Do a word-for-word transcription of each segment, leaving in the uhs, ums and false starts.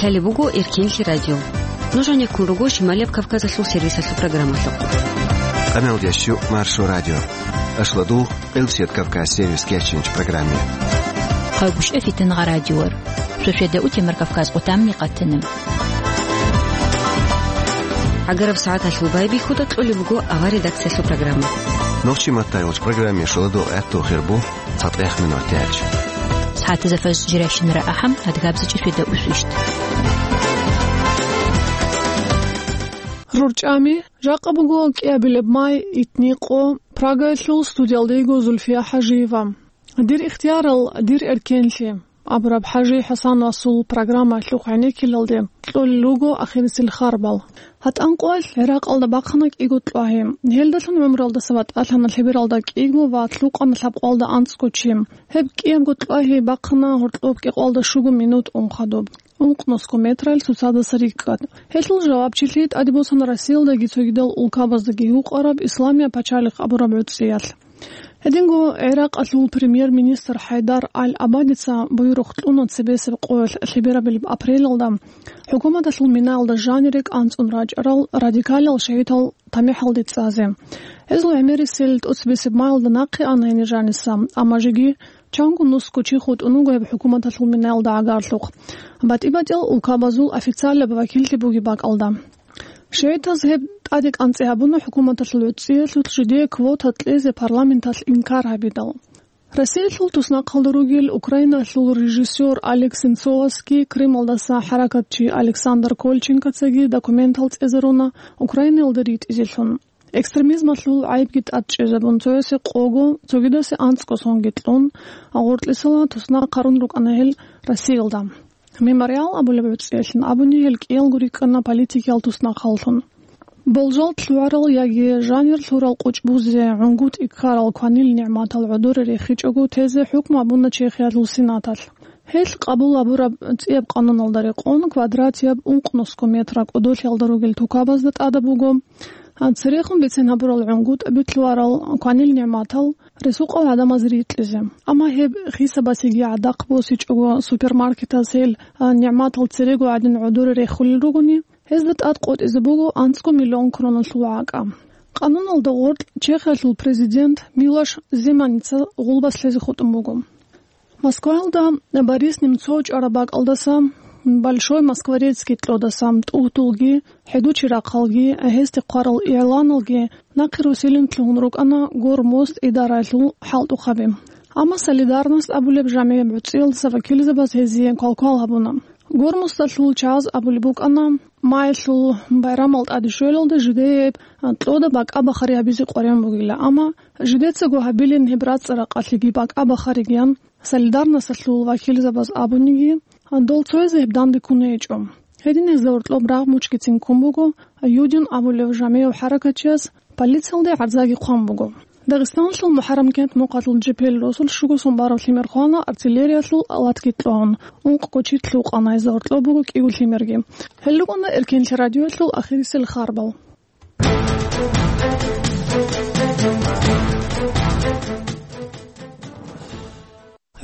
Лъалеб буго Эркенлъи радио. Нуж гьанеккун руго Шималияб Кавказалъул сервисалъул программалъухъ. Къаналдящу Маршо радио. Ашладул Къилсият Кавказ сервис кечинч программе. Хъагушев Фитнагъа радиор. Шошеда утемар Кавказ къутамни къатана. Агараб сагӀаталъул байбихьуда кьолеб буго авар редакциялъул программа. Нохчи маттайолч программе шуладул гӀатту хирбу. ЦатӀех минутач. СагӀатазда фажр жирайщинара ахӀам, адгабзичӀи шведа усвищт. РурчӀами, жакъа буго кӀиабилеб май, итни къо, Прагаялъул студиялда йиго Зульфия ХӀажиева. Дир ихтиярал, дир эркенлъи абураб ХӀажи ХӀасан Расул программалъухъ гӀенеккелалде кьолел руго ахирисел харбал. ГьатӀан къоялъ ГӀиракъалда бахъана кӀиго кьвагьи. Гьелдалъун гӀумруялдаса ватӀалъана лъебералда кӀиго ва лъукъана лъабкъоялда анцӀго чи. Гьеб кӀиябго кьвагьи бахъана гьоркьоб кӀикъоялда щуго минут ун хадуб, ункънусго метрал цоцадаса рикӀкӀад. Гьелъул жавабчилъи тӀаде босана Россиялдаги цогидал улкабаздаги гьукъараб Исламияб пачалихъ абураб гӀуцӀиялъ. Гьединго ГӀиракъалъул премьер-министр ХӀайдар Аль-Абадица буюрухъ кьуна цебесеб къоялъ лъеберабилеб апрелалда хӀукуматалъул минаялда жанире кӀанцӀун рачӀарал радикалал шагьидал тамихӀалде цӀазе. Гьезул гӀемерисел тӀоцебесеб маялда нахъе ана гьенир жаниса, амма жеги чанго нусго чи хутӀун вуго гьеб хӀукуматалъул минаялда гӀагарлъухъ. БатӀи-батӀиял улкабазул официалаб вакиллъи бугеб бакӀалда. ШигӀитаз гьеб тӀаде кӀанцӀи гьабуна хӀукуматалъул гӀуцӀиялъулъ жидее квота кьезе парламенталъ инкар гьабидал. Россиялъул туснахъалда ругел Украиналъул режиссёр Олег Сенцовасги Крымалдаса хӀаракатчи Александр Кольченкоцаги документал цӀезаруна Украинаялда ритӀизелъун. Экстремизмалъул гӀайибги тӀад чӀезабун, цоясе къого, цогидасе анцӀго сонги кьун, гъоркьисала туснахъ хъарун рукӀана гьел Россиялда. Мемориал абулеб гӀуцӀиялъин абуни гьел кӀиялго рикӀкӀана политикиял туснахъаллъун. Болжал лъугӀарал яги жанир лъурал къучӀ бузе, гӀунгутӀи ккарал кванил нигӀматал гӀодоре рехичӀого тезе хӀукму абуна Чехиялъул Сенаталъ. Гьелъ къабул гьабураб цӀияб къануналда рекъон квадратияб ункънусго метра кӀодолъиялда ругел тукабазда тӀадаб буго. Церехун бицен гьабурал гӀунгутӀаби лъугӀарал кванил нигӀматал ресукъал гӀадамаз рикьизе. Амма гьеб хисабасеги гӀадахъ босичӀого супермаркетаз гьел, а, нигӀматал церего гӀадин гӀодоре рехулел ругони, гьезда тӀад къотӀизе буго анцӀго миллион кроналъул гӀакӀа. Къануналда гъоркь Чехиялъул президент Милош Земаница гъулбас лъезе хутӀун буго. Москваялда Борис Немцов чӀвараб бакӀалдаса, Большой Москворецкий кьодаса, тӀугьдулги, хӀедучи рахъалги, гьесде хъварал игӀланалги нахъе руссилин лъугьун рукӀана Гормост идараялъул хӀалтӀухъаби. Амма Солидарность абулеб жамигӀияб гӀуцӀиялдаса вакилзабаз гьезие квалквал гьабуна. Гормосталъул чагӀаз абулеб букӀана, маялъул байрамал тӀаде щвелалда жидее гьеб кьода бакӀа-бахари гьабизе къваригӀун бугила, амма жидецаго гьабилин гьеб рацӀцӀа-ракъалъеги бакӀа-бахаригиян Солидарносталъул вакилзабаз абуниги, дол цоязе гьеб данде ккун гьечӀо. Гьедин гьезда гьоркьоб рагъ мучкицин ккун буго Юдин абулев жамигӀав хӀаракатчияс, полициялде гӀарзаги хъван буго. Дагъистаналъул МухӀаррам кент мухъалъул Жепел росулъ щуго сон бараб лъимер хвана артиллериялъул алатги кьогьун, ункъго чи лъукъана, гьезда гьоркьоб буго кӀиго лъимерги. Гьел рукӀана Эркенлъи радиоялъул ахирисел харбал.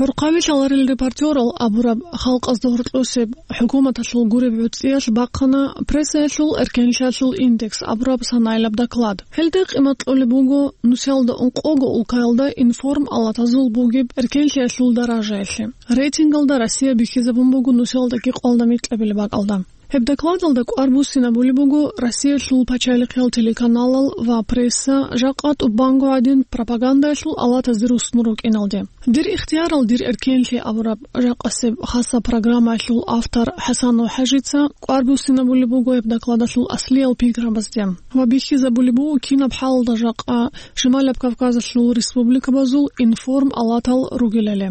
ГӀурхъаби лъаларел репортерал абураб халкъазда гьоркьосеб хӀукуматалъул гуреб гӀуцӀиялъ бахъана прессаялъул эркенлъиялъул индекс абураб санаилаб доклад. Гьелда къимат кьолеб буго нусиялда ункъого улкаялда информ-алатазул бугеб эркенлъиялъул даражаялъе. Рейтингалда Россия бихьизабун буго нусиялда кӀикъоялда микьабилеб бакӀалда. Гьеб докладалда кӀвар буссинабулеб буго Россиялъул пачалихъиял телеканалал ва пресса жакъа тӀубанго гӀадин пропагандаялъул алатазде руссун рукӀиналде. «Дир ихтиярал, дир эркенлъи» абураб жакъасеб хасаб программаялъул автор ХӀасанов ХӀажица кӀвар буссинабулеб буго гьеб докладалъул аслиял пикрабазде ва бихьизабулеб буго кинаб хӀалалда жакъа Шималаб Кавказалъул республикабазул информ-алатал ругелали.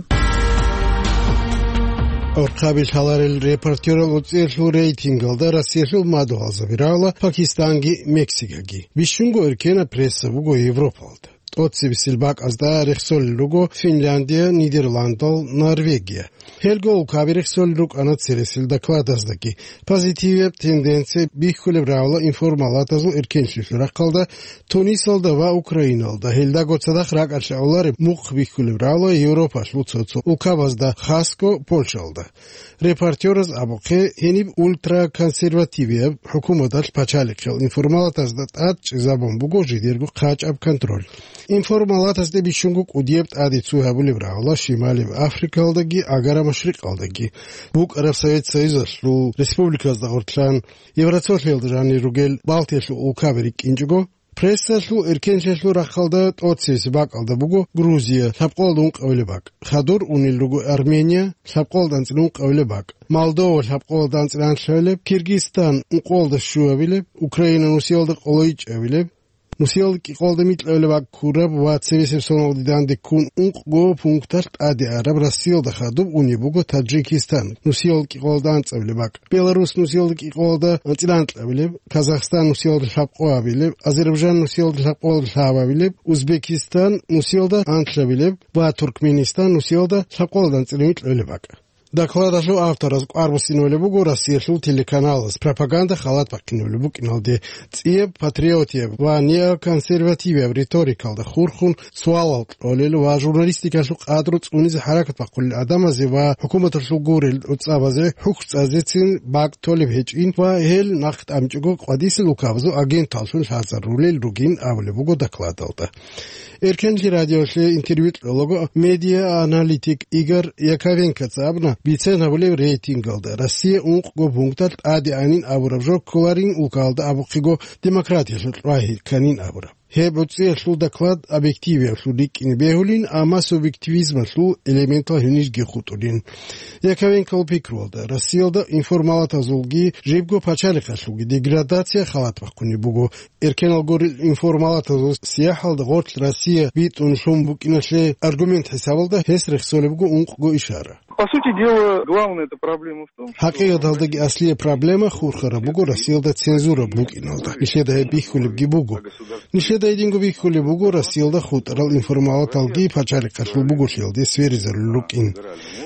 Орхъаби лъаларел репортерал гӀуцӀиялъул рейтингалда Россиялъул мадугьалзаби рагӀула Пакистанги Мексикаги. Бищунго эркенаб пресса буго Европалда. тӀоцебесел бакӀазда рехсолел руго Финляндия, Нидерландал, Норвегия. Гьелго улкаби рехсолел рукӀана цересел докладаздаги. Позитивияб тенденция бихьулеб рагӀула информалатазул эркенлъилъул рахъалда Тунисалда ва Украиналда. Гьелдаго цадахъ ракӀалъ гӀолареб мухъ бихьулеб рагӀула Европалъул цо-цо улкабазда, хасго Польшалда. Репортераз абухъе, гьениб ультраконсервативияб хӀукуматалъ пачалихъиял информалатазда тӀад чӀезабун буго жидерго хъачӀаб контроль. Информалатазде бищунго кӀудияб тӀаде цо гьабулеб рагӀула Шималияб Африкалдаги Агара Машрикъалдаги, букӀараб Совет Союзалъул республиказда гъорлъан, Евросолъиялда жанир ругел Балтиялъул улкаби рикӀкӀинчӀого. Прессалъул эркенлъиялъул рахъалда тӀоцебесеб бакӀалда буго Грузия, лъабкъоялда ункъабилеб бакӀ. Хадур унел руго Армения, лъабкъоялда анцӀила ункъабилеб бакӀ. Молдова, лъабкъоялда анцӀила анлъабилеб, Киргизстан, ункъоялда щуабилеб, Украина, нусиялда къоло ичӀабилеб, нусиялда кӀикъоялда микьабилеб бакӀ ккураб ва цебесеб соналде данде ккун ункъго пункталъ тӀаде араб. Россиялда хадуб унеб буго Таджикистан, нусиялда кӀикъоялда анцӀабилеб бакӀ. Беларус, нусиялда кӀикъоялда анцӀила анкьабилеб, Казахстан, нусиялда лъабкъоабилеб, Азербайджан, нусиялда лъабкъоялда лъабабилеб, Узбекистан, нусиялда анлъабилеб ва Туркменистан, нусиялда лъабкъоялда анцӀила микьабилеб бакӀ. Докладалъул автораз кӀвар буссинабулеб буго Россиялъул телеканалаз пропаганда халат бахъинабулеб букӀиналде, цӀияб патриотияб ва неоконсервативияб риторикалда хурхун суалал кьолел ва журналистикалъул къадру цӀунизе хӀаракат бахъулел гӀадамазе ва хӀукуматалъул гурел гӀуцӀабазе хӀухь цӀазецин бакӀ толеб гьечӀин ва гьел нахъ тӀамичӀого къвадисел улкабазул агенталлъун лъазарулел ругин абулеб буго докладалда. Эркенлъи радиолъе интервью кьолаго медиа-аналитик Игорь Яковенкоца абуна, бицен гьабулеб рейтингалда Россия ункъго пункталъ тӀаде анин абураб жо кколарин улкалда абухъего демократиялъул чӀвай кканин абураб. Гьеб гӀуцӀиялъул доклад объективиялъул рикӀкӀине бегьулин, амма субъективизмалъул элементал гьенирги хутӀулин. Яковенкол пикруялда, Россиялда информалатазулги жибго пачалихъалъулги деградация халат бахъунеб буго. Эркенал гурел информалатазул сияхӀалда гъорлъ Россия битӀун лъун букӀиналъе аргумент хӀисабалда гьес рехсолеб буго ункъго ишара. По сути дела, главная эта проблема в том, что... ХӀакъикъаталдаги аслияб проблема хурхараб буго Россиялда цензура букӀиналда. Нилъеда гьеб бихьулебги буго. Нилъеда гьединго бихьулеб буго Россиялда хутӀарал информалаталги пачалихъалъул буголъиялде сверизарулел рукӀин.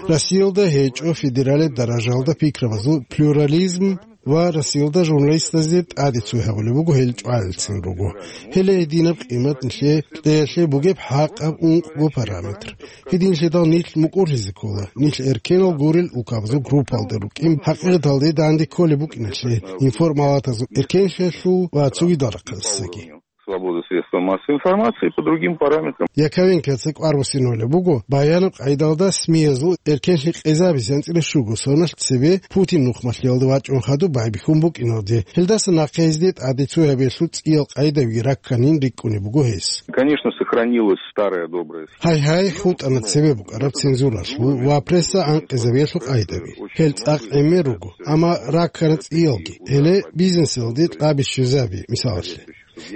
Россиялда гьечӀо федералияб даражалда пикрабазул плюрализм ва Россиялда журналистазе тӀаде цо гьабулеб буго, гьел чӀвалелцин руго. Гьеле гьединаб къимат нилъее кьеялъе бугеб хӀакъаб ункъго параметр. Гьединлъидал нилъ мукӀурлъизе ккола, нилъ эркенал гурел улкабазул группалда рукӀин, хӀакъикъаталде данде кколеб букӀиналъе, информалатазул эркенлъиялъул ва цогидал рахъалъесаги. Свободы средств массовой информации по другим параметрам. Яковенкоца кӀвар буссинабулеб буго баянаб къайдалда СМИ-язул эркенлъи къезабизе анцӀила щуго соналъ цебе Путин нухмалъиялда вачӀун хадуб байбихьун букӀиналде. Гьелдаса нахъе гьезде тӀаде цо гьабиялъул цӀиял къайдавиги ракканин рикӀкӀунеб буго гьес. Конечно, сохранилась старая добрая... Гьай-гьай, хутӀана цебе букӀараб цензуралъул ва пресса анкъизабиялъул къайдаби. Гьел цӀакъ гӀемер руго, амма раккана цӀиялги. Гьеле бизнесалде кьаби щвезаби, мисалалъе.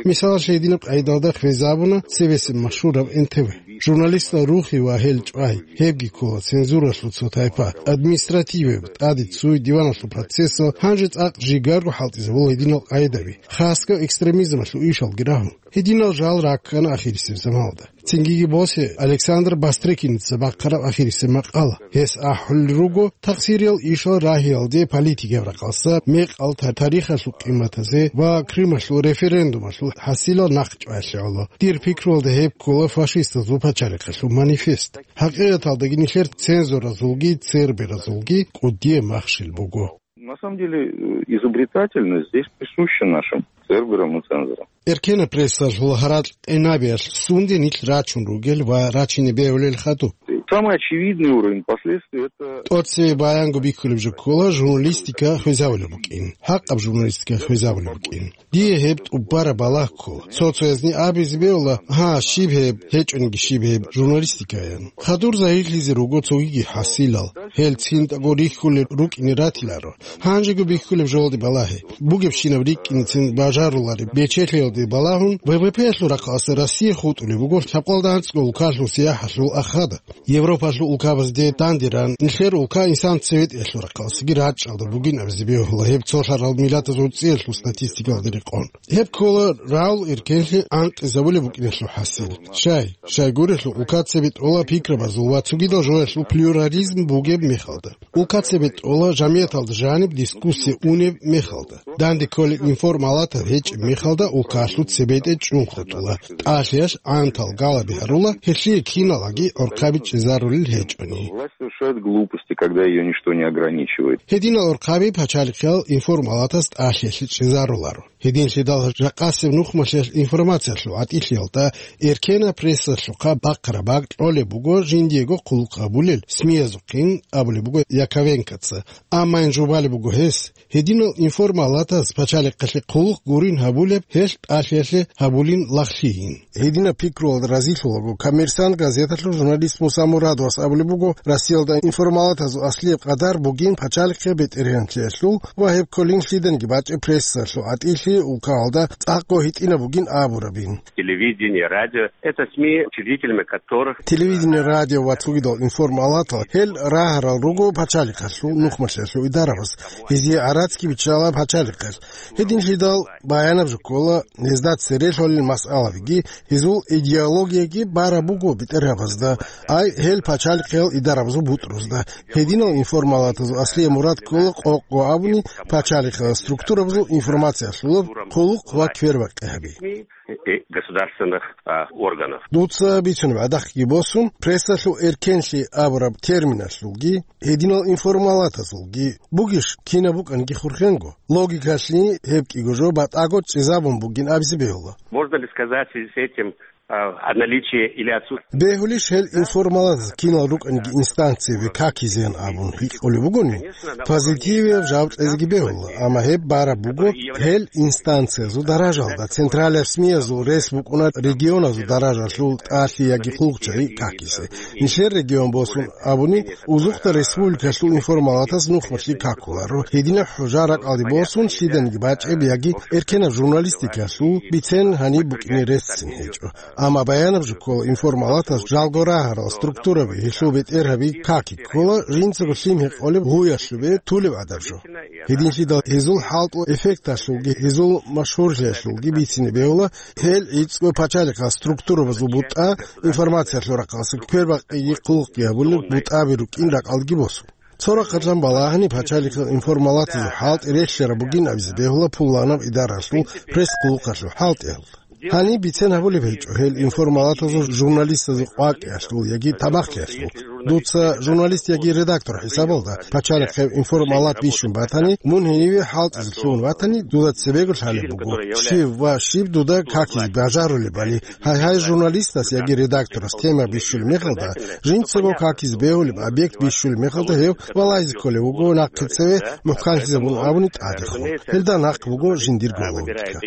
Мисалалъе, гьединаб къайдалда хвезабуна цебесеб машгьураб Н Т В. Журналистал рухи ва гьел чӀвай, гьебги ккола цензуралъул цо тайпа, административияб, тӀаде цуй диваналъул процессал, гьанже цӀакъ жигарго хӀалтӀизабула гьединал къайдаби, хасго экстремизмалъул ишалги рагьун. Гьединал жал раккана ахирисеб заманалда. Цинги босе Александр Бастрыкиница бахъараб ахирисеб макъала. Гьес ахӀулел руго, тахсириял ишал рагьиялде политикияб рахъалъа, мекъал та-, тарихалъул къиматазе ва Крымалъул референдумалъул хӀасилал нахъ чӀваялъе гӀоло. Дир пикруялда гьеб ккола фашистазул пачалихъалъул манифест. ХӀакъикъаталдаги нилъер цензоразулги церберазулги кӀудияб махщел буго. На самом деле, э, изобретательность здесь присуща нашим церберам и цензорам. Эркенаб прессалъул гьаракь гьенабиялъ сунде нилъ рачун ругел ва рачине бегьулел хадуб? Самый очевидный уровень последствий — это... ТӀоцебе баянго бихьулеб жо ккола журналистика хвезабулеб букӀин, хӀакъаб журналистика хвезабулеб букӀин. Дие гьеб тӀубараб балагь ккола. Цо-цоязни абизе бегьула, гьа, щиб гьеб, гьечӀониги щиб гьеб журналистикаян. Хадур загьирлъизе руго цогиги хӀасилал, гьел цинтӀаго рихьулел рукӀине ратиларо. Гьанжего бихьулеб жолде балагье. Бугебщинаб рикӀкӀинецин бажарулареб бечелъиялде балагьун, В В П-ялъул рахъалъа Россия хутӀулеб буго лъабкъалда анцӀго улкалъул сияхӀалъул ахада. Европалъул улкабазде дандеран, нилъер улка инсан цебетӀиялъул рахъалъги рачӀалда бугин абизе бегьула гьеб цолъарал миллатазул цӀиялъул статистикалде рекъон. Гьеб ккола рагӀул эркенлъи анкьизабулеб букӀиналъул хӀасил. Щай, щайгурелъул улка цебетӀола пикрабазул ва цогидал жоялъул плюрализм бугеб мехалда. Улка цебетӀола жамияталда жаниб дискуссия унеб мехалда. Данде кколеб информалатал гьечӀеб мехалда улкалъул цебетӀе чӀун хутӀула. ТӀалъиялъ гӀантал галаби гьарула, гьелъие киналаги гӀорхъаби чӀезарулел гьечӀони. Власть совершает глупости, когда её ничто не ограничивает. Гьединал гӀорхъаби пачалихъиял информалатас тӀалъиялъе чӀезаруларо. Гьединлъидал жакъасеб нухмалъиялъ информациялъул гӀатӀилъиялда эркенаб прессалъухъа бахъараб бакӀ кьолеб буго жиндиего хъулухъ гьабулел СМИ-язухъин, абулеб буго Яковенкоца. Амма ин жубалеб буго гьес, гьединал информалатаз пачалихъалъе хъулухъ гурин гьабулеб гьелъ тӀалъиялъе гьабулин лагълъийин. Гьединаб пикруялда разилъулаго «Коммерсант» газеталъул журналист Муса Мурадовас абулеб буго, Россиялда информалатазул аслияб къадар бугин пачалихъе бетӀергьанлъиялъул ва гьеб кколин лъиданиги бачӀеб прессалъул гӀатӀилъи улкаялда цӀакъго гьитӀинаб бугин абурабин. Телевидение, радио — это СМИ, учредителями которых... Телевидение, радио ва цогидал информалатал гьел рагьарал руго пачалихъалъул нухмалъиялъул идарабаз, гьезие гӀарацги биччала пачалихъалъ. Гьединлъидал баянаб жо ккола, гьезда цере лъолел масъалабиги, гьезул идеологияги бараб буго бетӀергьабазда, ай гьел пачалихъиял идарабазул бутӀрузда. Гьединал информалатазул аслияб мурад ккола къокъго абуни пачалихъиял структурабазул информациялъулаб хъулухъ ва квербакъи гьаби. И государственных, а, органов. Дуца бицунеб гӀадахъги босун, прессалъул эркенлъи абураб терминалъулги, гьединал информалатазулги бугищ кинаб букӀанги хурхенго? Логикалъе гьеб кӀиго жо батӀаго чӀезабун бугин абизе бегьула. Можно ли сказать в связи с этим, а, о наличии или отсутствии... Бегьулищ гьел информалатаз кинал рукӀанги инстанциябе какизеян абун гьикъулеб бугони, позитивияб жаваб кьезеги бегьула, амма гьеб бараб буго гьел инстанциязул даражалда, централияб СМИ-язул рес букӀуна регионазул даражалъул тӀалъи яги хъулухъчагӀи какизе. Нилъер регион босун абуни, узухъда республикалъул информалатаз нухмалъи какуларо. Гьединаб хӀужа ракӀалде босун лъиданиги бачӀеб яги эркенаб журналистикалъул бицен гьаниб букӀине реццин гьечӀо. Амма баянаб жо ккола, информалатаз жалго рагьарал структураби, гьелъул бетӀергьаби каки ккола, жинцаго лъим гьекъолеб гьуялъубе тулеб гӀадаб жо. Гьединлъидал гьезул хӀалтӀул эффекталъулги, гьезул машгьурлъиялъулги бицине бегьула, гьел гӀицӀго пачалихъал структурабазул бутӀа, информациялъул рахъалъа квербакъиги хъулухъги гьабулел бутӀаби рукӀин ракӀалдеги босун. Цо рахъалъан балагьани пачалихъал информалатазул хӀалтӀи релълъараб бугин абизе бегьула пуланаб идаралъул пресс-хъулухъалъул хӀалтӀиялда. Гьаниб бицен гьабулеб гьечӀо гьел информалатазул журналистазул къвакӀиялъул яги тамахлъиялъул. Дуца журналист яги редактор хӀисабалда пачалихъеб информалат бищун батани, мун гьениве хӀалтӀизе лъугьун ватани, дуда цебего лъалеб буго, щив ва щиб дуда какизе бажарулебали. Гьай-гьай, журналистас яги редакторас тема бищулеб мехалда, жинцаго какизе бегьулеб объект бищулеб мехалда гьев валагьизе кколев вуго нахъе цеве мухӀканлъизабун абуни тӀадехун. Гьелда нахъ буго жиндирго логика.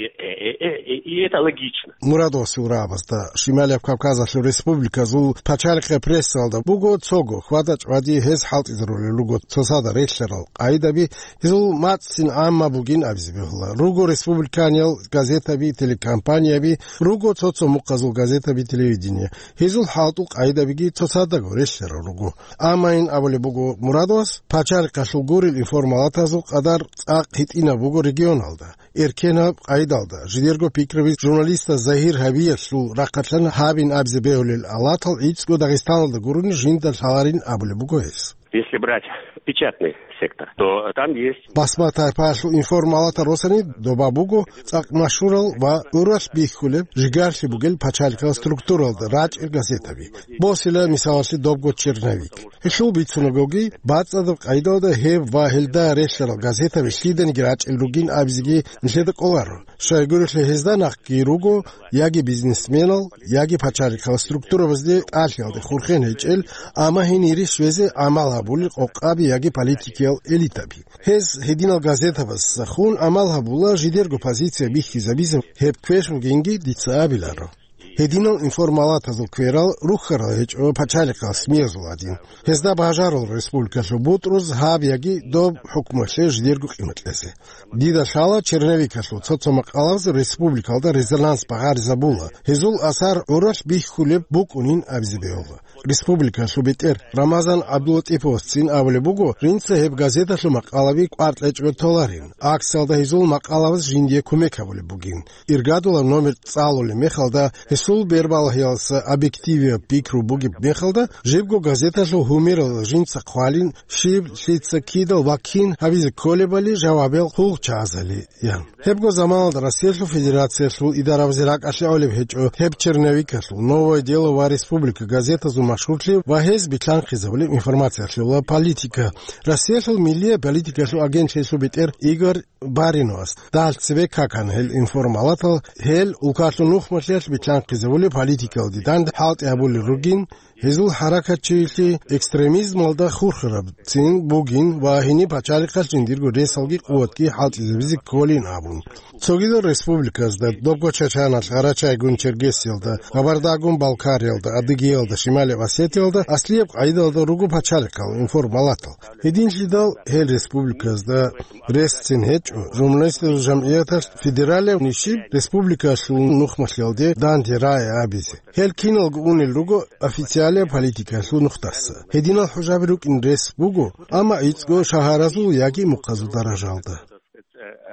И это логично. Мурадовасул рагӀабазда Шималияб Кавказалъул республиказул пачалихъе прессалда буго цого хьвада-чӀвади гьез хӀалтӀизарулел руго цоцазда релълъарал къайдаби, гьезул мацӀцин гӀамма бугин абизе бегьула. Руго республиканиял газетаби, телекомпанияби, руго цо-цо мухъазул газетаби, телевидение. Гьезул хӀалтӀул къайдабиги цоцаздаго релълъарал руго. Амма ин абулеб буго Мурадовас, пачалихъалъул гурел информалатазул къадар цӀакъ гьитӀинаб буго регионалда. Эркенаб къайдалда, жидерго пикраби журналистас загьир гьабиялъул рахъалъан гьабин абизе бегьулел алатал гӀицӀго Дагъистаналда гурони жинда лъаларин абулеб буго гьес. Если брать печатный сектор, то там есть... Басма тайпаялъул информалатал росани доба буго цӀакъ машгьурал ва гӀуралъ бихьулеб жигарлъи бугел пачалихъал структуралда рачӀел газетаби. Босила мисалалъе добго «Черновик». Гьелъул бицунагоги, бацӀцӀадаб къайдалда гьеб ва гьелда релълъарал газетаби лъиданиги рачӀел ругин абизеги нилъеда кӀоларо. Щайгурелъул гьезда нахъги руго яги бизнесменал, яги пачалихъал структурабазде тӀалъиялде хурхен гьечӀел, амма гьенире щвезе гӀамал гьабулел къокъаби яги политикиял элитаби. Гьез гьединал газетабазда хун гӀамал гьабула жидерго позиция бихьизабизе, гьеб квеш бугинги дица абиларо. Гьединал информалатазул кверал рухьарал гьечӀо пачалихъал СМИ-язул гӀадин. Гьезда бажарал республикалъул бутӀруз гьаб яги доб хӀукмалъе жидерго къимат кьезе. Дида лъала черновикалъул цо-цо макъалабаз республикалда резонанс багъаризабула, гьезул асар гӀуралъ бихьулеб букӀунин абизе бегьула. Республикалъул бетӀер Рамазан ГӀабдулатӀиповасцин абулеб буго, жинца гьеб газеталъул макъалаби кӀвар кьечӀого толарин, акциялда гьезул макъалабаз жиндие кумек гьабулеб бугин. Иргадулаб номер цӀалулеб мехалда, гьесул бербалъиялдаса объективияб пикру бугеб мехалда, жибго газеталъул гьумерал жинца хъвалин, щиб, лъица, кидал ва кин гьабизе кколебали жавабиял хъулухъчагӀазали, ян. Гьебго заманалда Россиялъул Федерациялъул идарабазе ракӀалъе гӀолеб гьечӀо гьеб черновикалъул «Новое дело» ва «Республика» газетазул машгьурлъи ва гьез битлъанхъизабулеб информациялъул ва политика. Россиялъул миллияб политикалъул агентлъиялъул бетӀер Игорь Бариновас дагьал цебе какана гьел информалатал, гьел улкалъул нухмалъиялъ битлъанхъизабулеб политикалде данде хӀалтӀи гьабулел ругин, гьезул хӀаракатчилъи экстремизмалда хурхарабцин бугин ва гьениб пачалихъалъ жиндирго ресалги къуватги хӀалтӀизабизе кколин абун. Цогидал республиказда, добго Чачаналъ, Гъарачайгун Чергесиялда, Габардагун Балкариялда, Адыгеялда, Шималияб Осетиялда аслияб къагӀидалда руго пачалихъал информалатал. Гьединлъидал гьел республиказда ресцин гьечӀо журналистазул жамгӀияталъ федералияб нижер республикалъул нухмалъиялде данде рагӀи абизе. Гьел киналго унел руго официалияб политикалъул нухдаса. Гьединал хӀужаби рукӀин рес буго, амма гӀицӀго шагьаразул яги мухъазул даражалда.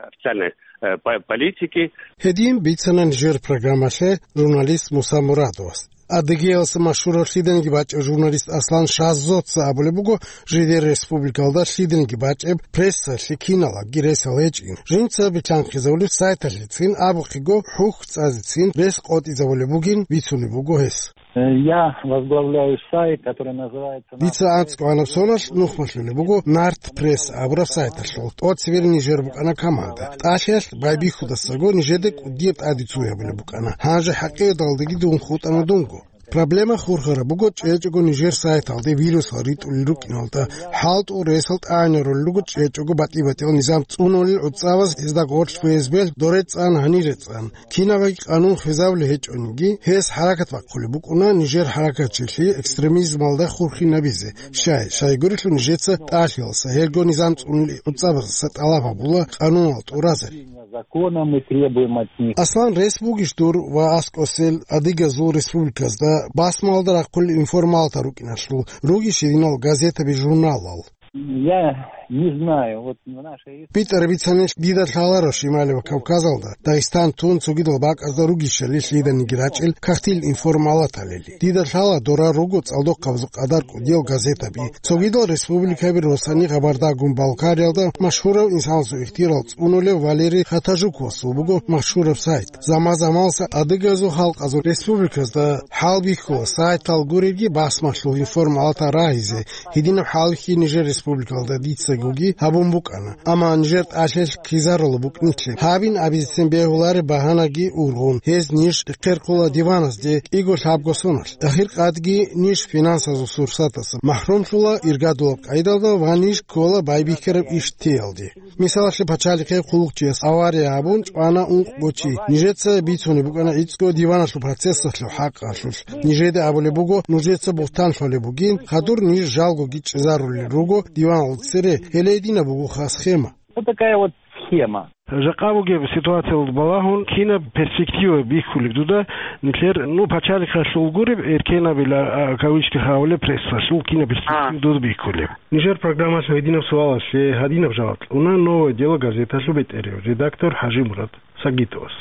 Официальной, э, по-, политики. Гьедин бицана нижер программалъе журналист Муса Мурадовас. Адыгеялъ машгьурав лъиданиги бачӀев журналист Аслан Шазоца абулеб буго, жидер республикалда лъиданиги бачӀеб прессалъе киналабги ресал гьечӀин. Жинца битлъанхъизабулеб сайталъецин абухъего хӀухь цӀазецин рес къотӀизабулеб бугин бицунеб буго гьес. Э, я возглавляю сайт, который называется Дица анцӀго гӀанаб соналъ нухмалъулеб буго Нарт Пресс абураб сайталъул. ТӀоцебе нижер букӀана команда. ТӀалъиялъ байбихьудасаго нижеда кӀудияб тӀаде цо гьабулеб букӀана. Гьанже хӀакъикъаталдаги дун хутӀана дунго. Проблема хурхараб буго чӀечӀого нижер сайталде вирусал ритӀулел рукӀиналда, хӀалтӀул ресал тӀагӀинарулел руго чӀечӀого батӀи-батӀиял низам цӀунулел гӀуцӀабаз гьезда гъорлъ ФСБ-л доре цӀан, гьанире цӀан. Кинабаги къанун хвезабулеб гьечӀониги, гьес хӀаракат бахъулеб букӀуна нижер хӀаракатчилъи экстремизмалда хурхинабизе. Щай, щайгурелъул нижеца тӀалъиялса гьелго низам цӀунулел гӀуцӀабазаса тӀалаб гьабула къануналда тӀуразари. Законом мы требуем от них. Аслан, рес бугищ дур ва аскӀосел адыгазул республиказда басмалда рахъулел информалатал рукӀиналъул, ругищ гьединал газетаби-журналал? Я не знаю, вот в нашей БитӀараб бицанилъ дида лъаларо Шималияб Кавказалда, Дагъистан тун цогидал бакӀазда ругищали лъиданиги рачӀел кагътил информалаталили. Дида лъала дора руго цӀалдохъабазул къадар кӀудиял газетаби. Цогидал республикаби росани Габардагун-Балкариялда машгьурав инсанасул ихтияр цӀунулев Валерий Хатажуковасул буго машгьураб сайт. Заман-заманаса адыгазул халкъазул республиказда хӀалбихьула сайтал гуребги басмалъул информалатал рагьизе, гьединаб хӀалбихьи нижер республикалда дицагоги гьабун букӀана, амма нижер тӀалъиялъ ккезарулеб букӀинилъе гьабин абизецин бегьулареб багьанаги ургъун, гьез ниж эхъерхъула диваназде кӀиго-лъабго соналъ. Ахиркъадги ниж финансазул сурсатаса махӀрумлъула иргадулаб къайдалда ва ниж ккола байбихьараб иш теялде. Мисалалъе, пачалихъе хъулухъчияс авария гьабун чӀвана ункъго чи. Нижеца бицунеб букӀана гӀицӀго диваналъул процессалъул хӀакъалъулъ. Нижеда абулеб буго, нужеца бугьтан лъолеб бугин, хадур ниж жалгоги чӀезарулел руго диваналда цере, гьеле гьединаб бугоха схема. Вот такая вот схема. Жакъа бугеб ситуациялда балагьун, кинаб перспектива бихьулеб дуда нилъер, ну, пачалихъалъул гуреб, эркенабила, а, кавычках абулеб, прессалъул кинаб перспектива А. дуда бихьулеб? Нижер программалъ гьединаб суалалъе гьадинаб жаваб кьуна «Новое дело» газеталъул бетӀерев редактор ХӀажимурад Сагитовас.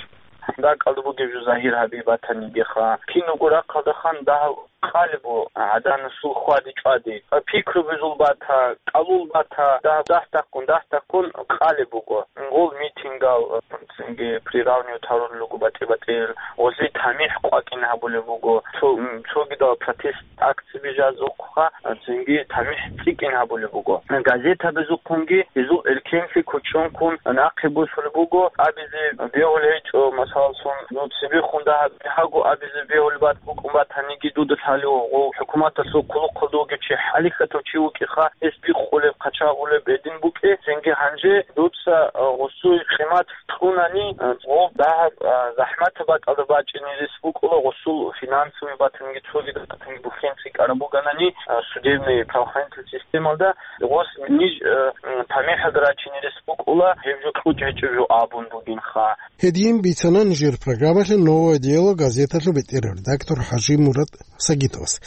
Дакъалда бугеб жо загьир гьабизе батанигиха, кинабго рахъалдахан дагьаб къалебу гӀаданасул хьвади-чӀвади, пикру бузул бата, кӀалул бата, дагь-, дагь-такъун, дагь-такъун къалеб буго. Гъол митингал, цинги приравнивать гьарулел руго батӀи-батӀиял, гъолъи тамихӀ къвакӀин гьабулеб буго, цо-, м, цогидал протест акцияби жазухъа, цинги тамихӀ цӀикӀкӀин гьабулеб буго. Газетабазухъунги гьезул эркенлъи кучӀункун нахъе босулеб буго, абизе бегьулеб гьечӀо, масалалъун, ну, цебехун дагьаб бигьаго абизе бегьулеб бат-, букӀун батаниги дуда лъалев гъов хӀукуматалъул хъулухъалда вугев чи, хӀалихьатав чи вукӀиха, гьес бикъулеб, хъачагъулеб гьедин букӀе, цинги гьанже дуца, а, гъосул къимат кьунани, а, гъов дагьаб, а, захӀматаб бакӀалда бачӀине рес букӀула, гъосул финансовый батанги цогидал батанги бухӀен цӀикӀкӀараб бугони, а, судебный правоохранительный системалда гъос ниж, а, м, тамихӀалда рачине рес букӀула, гьеб жо кьучӀ гьечӀеб жо абун бугинха. Гьедин бицана нижер программалъе «Новое дело» газеталъул бетӀерав редактор ХӀажимурад Сагитовас.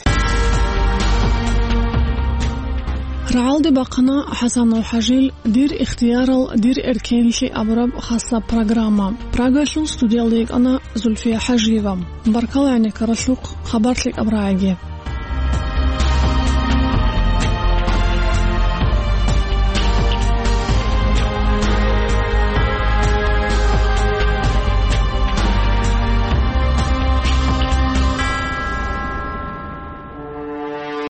Рагьалде бахъана ХӀасанов ХӀажил «Дир ихтиярал, дир эркенлъи» абураб хасаб программа. Прагалъул студиялда йикӀана Зульфия ХӀажиева. Баркала гӀенеккаралъухъ, хабар лъикӀаб рагӀаги.